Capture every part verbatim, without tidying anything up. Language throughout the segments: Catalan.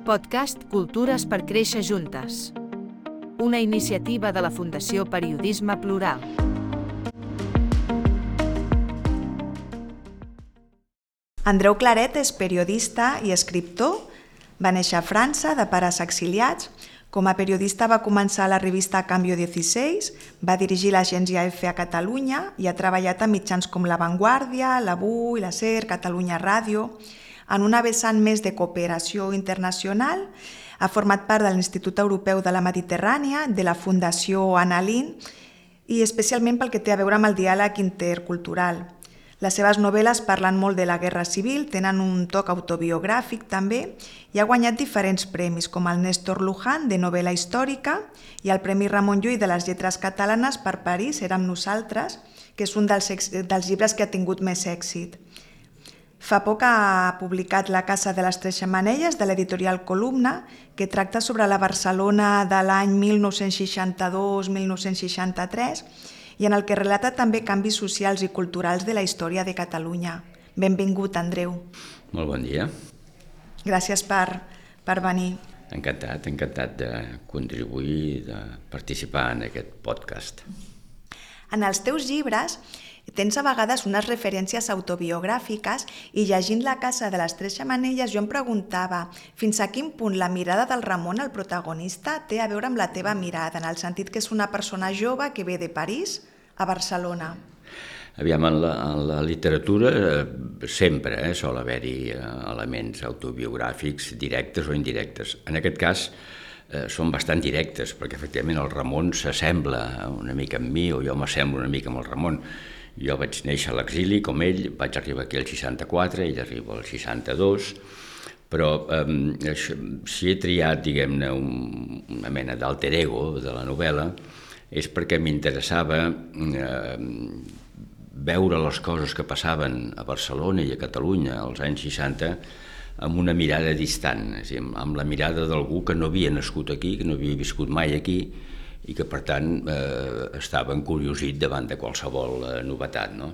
Podcast Cultures per créixer juntes. Una iniciativa de la Fundació Periodisme Plural. Andreu Claret és periodista i escriptor. Va néixer a França, de pares exiliats. Com a periodista va començar a la revista Cambio dieciséis, va dirigir l'agència F a Catalunya i ha treballat a mitjans com La Vanguardia, l'Avui, la SER, Catalunya Ràdio. En una vessant més de cooperació internacional, ha format part de l'Institut Europeu de la Mediterrània, de la Fundació Anna Lindh i especialment pel que té a veure amb el diàleg intercultural. Les seves novel·les parlen molt de la guerra civil, tenen un toc autobiogràfic també i ha guanyat diferents premis com el Néstor Luján de novel·la històrica i el Premi Ramon Llull de les lletres catalanes per París érem nosaltres, que és un dels, dels llibres que ha tingut més èxit. Fa poc ha publicat La casa de les tres xemeneies de l'editorial Columna, que tracta sobre la Barcelona de l'any mil nou-cents seixanta-dos a mil nou-cents seixanta-tres i en el que relata també canvis socials i culturals de la història de Catalunya. Benvingut, Andreu. Molt bon dia. Gràcies per, per venir. Encantat, encantat de contribuir, de participar en aquest podcast. En els teus llibres tens a vegades unes referències autobiogràfiques i llegint La casa de les tres xemeneies jo em preguntava fins a quin punt la mirada del Ramon, el protagonista, té a veure amb la teva mirada, en el sentit que és una persona jove que ve de París a Barcelona. Aviam, en la, en la literatura sempre eh, sol haver-hi elements autobiogràfics directes o indirectes. En aquest cas eh, són bastant directes perquè efectivament el Ramon s'assembla una mica amb mi o jo m'assemblo una mica amb el Ramon. Jo vaig néixer a l'exili com ell, vaig arribar aquí al seixanta-quatre, ell arriba al seixanta-dos, però eh, si he triat, diguem-ne, un, una mena d'alter ego de la novel·la és perquè m'interessava eh, veure les coses que passaven a Barcelona i a Catalunya als anys seixanta amb una mirada distant, és a dir, amb la mirada d'algú que no havia nascut aquí, que no havia viscut mai aquí, i que, per tant, eh, estava encuriosit davant de qualsevol eh, novetat. No?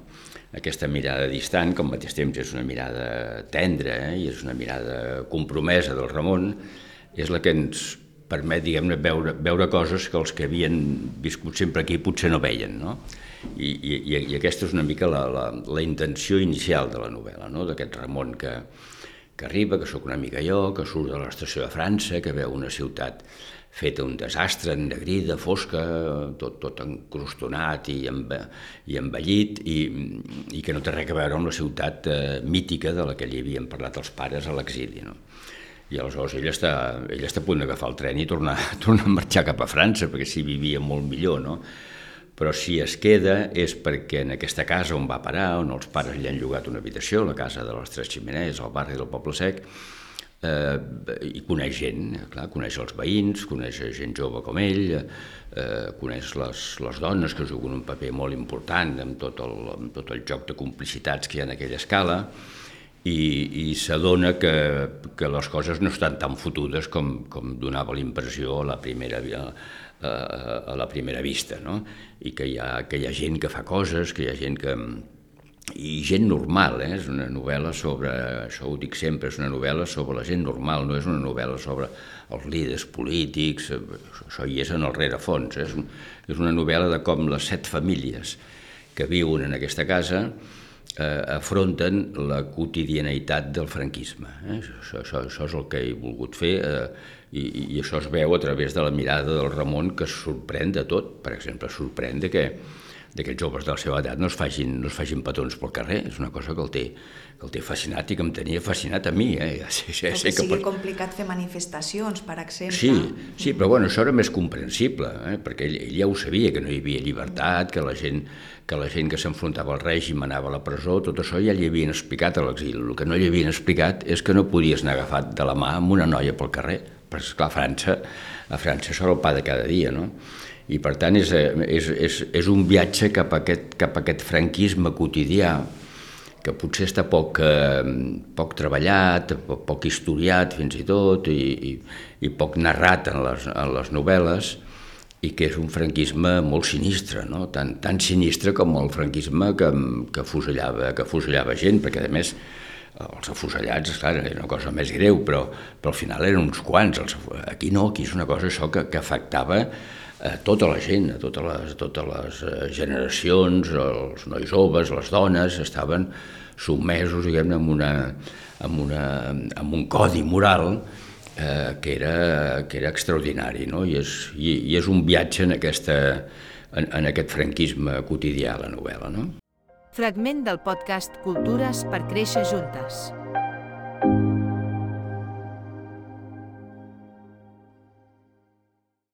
Aquesta mirada distant, que al mateix temps és una mirada tendra eh, i és una mirada compromesa del Ramon, és la que ens permet, diguem-ne, veure, veure coses que els que havien viscut sempre aquí potser no veien. No? I, i, I aquesta és una mica la, la, la intenció inicial de la novel·la, no? D'aquest Ramon que, que arriba, que sóc una mica jo, que surt de l'estació de França, que veu una ciutat feta un desastre, ennegrida, fosca, tot, tot encrustonat i, enve, i envellit, i, i que no té res a veure amb la ciutat eh, mítica de la que li havien parlat els pares a l'exili. No? I aleshores ell està, ell està a punt d'agafar el tren i tornar, tornar a marxar cap a França, perquè s'hi vivia molt millor, no? Però si es queda és perquè en aquesta casa on va parar, on els pares li han llogat una habitació, la casa de les tres xemeneies, al barri del Poble Sec, eh, i coneix gent, clar, coneix els veïns, coneix gent jove com ell, eh, coneix les, les dones que juguen un paper molt important amb tot el, amb tot el joc de complicitats que hi ha en aquella escala, i, i s'adona que, que les coses no estan tan fotudes com, com donava l'impressió a la primera a, a la primera vista, no? I que hi, ha, que hi ha gent que fa coses, que hi ha gent que... i gent normal, eh? És una novel·la sobre, això ho dic sempre, és una novel·la sobre la gent normal, no és una novel·la sobre els líders polítics, això hi és en el rerefons, eh? És una novel·la de com les set famílies que viuen en aquesta casa eh, afronten la quotidianitat del franquisme. Eh? Això, això, això és el que he volgut fer eh, i, i això es veu a través de la mirada del Ramon, que es sorprèn de tot. Per exemple, es sorprèn de que d'aquests joves de la seva edat no es facin, no es facin petons pel carrer. És una cosa que el té, que el té fascinat i que em tenia fascinat a mi. Eh? Sí, sí, que sí, sigui per... complicat fer manifestacions, per exemple. Sí, sí, però bueno, això era més comprensible, eh? Perquè ell, ell ja ho sabia, que no hi havia llibertat, que la gent que la gent que s'enfrontava al règim anava a la presó, tot això ja li havien explicat a l'exili. El que no li havien explicat és que no podies anar agafat de la mà amb una noia pel carrer, perquè, esclar, a França, a França això era el pa de cada dia, no? I per tant és, és, és, és un viatge cap a, aquest, cap a aquest franquisme quotidià que potser està poc, eh, poc treballat, poc, poc historiat fins i tot i, i, i poc narrat en les, en les novel·les i que és un franquisme molt sinistre, no? tan, tan sinistre com el franquisme que, que, fusellava, que fusellava gent, perquè a més Els afusellats, esclar, era una cosa més greu, però, però al final eren uns quants. Els, aquí no, aquí és una cosa això que, que afectava a tota la gent, a totes les, totes les generacions, els nois joves, les dones, estaven sotmesos, diguem-ne, amb, una, amb, una, amb un codi moral eh, que, era, que era extraordinari, no? I, és, i, i és un viatge en, aquesta, en, en aquest franquisme quotidià, la novel·la, no? Fragment del podcast Cultures per créixer juntes.